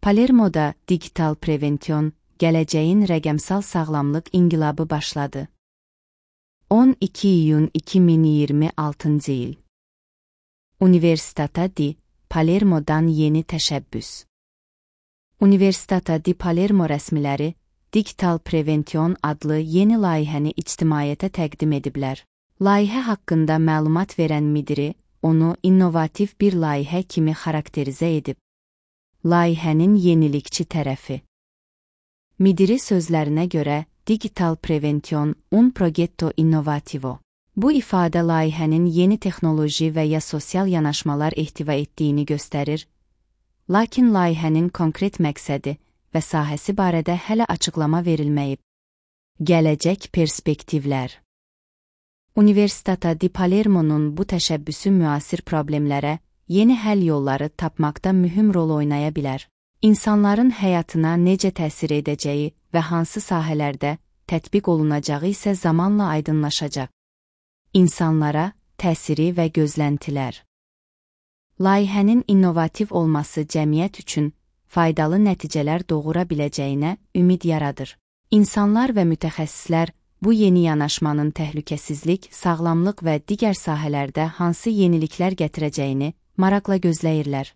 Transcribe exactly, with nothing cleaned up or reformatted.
Palermoda digital prevensiyon, gələcəyin rəqəmsal sağlamlıq inqilabı başladı. on iki iyun iki min iyirmi altıncı il. Universitata di Palermo'dan yeni təşəbbüs. Universitata di Palermo rəsmiləri Digital Prevention adlı yeni layihəni ictimaiyyətə təqdim ediblər. Layihə haqqında məlumat verən müdiri onu innovativ bir layihə kimi xarakterizə edib. Layihənin yenilikçi tərəfi. Müdiri sözlərinə görə Digital Prevention un progetto innovativo. Bu ifadə layihənin yeni texnoloji və ya sosial yanaşmalar ehtiva etdiyini göstərir, lakin layihənin konkret məqsədi və sahəsi barədə hələ açıqlama verilməyib. Gələcək perspektivlər. Universitata di Palermo'nun bu təşəbbüsü müasir problemlərə yeni həll yolları tapmaqda mühüm rol oynaya bilər. İnsanların həyatına necə təsir edəcəyi və hansı sahələrdə tətbiq olunacağı isə zamanla aydınlaşacaq. İnsanlara təsiri və gözləntilər. Layihənin innovativ olması cəmiyyət üçün faydalı nəticələr doğura biləcəyinə ümid yaradır. İnsanlar və mütəxəssislər bu yeni yanaşmanın təhlükəsizlik, sağlamlıq və digər sahələrdə hansı yeniliklər gətirəcəyini maraqla gözləyirlər.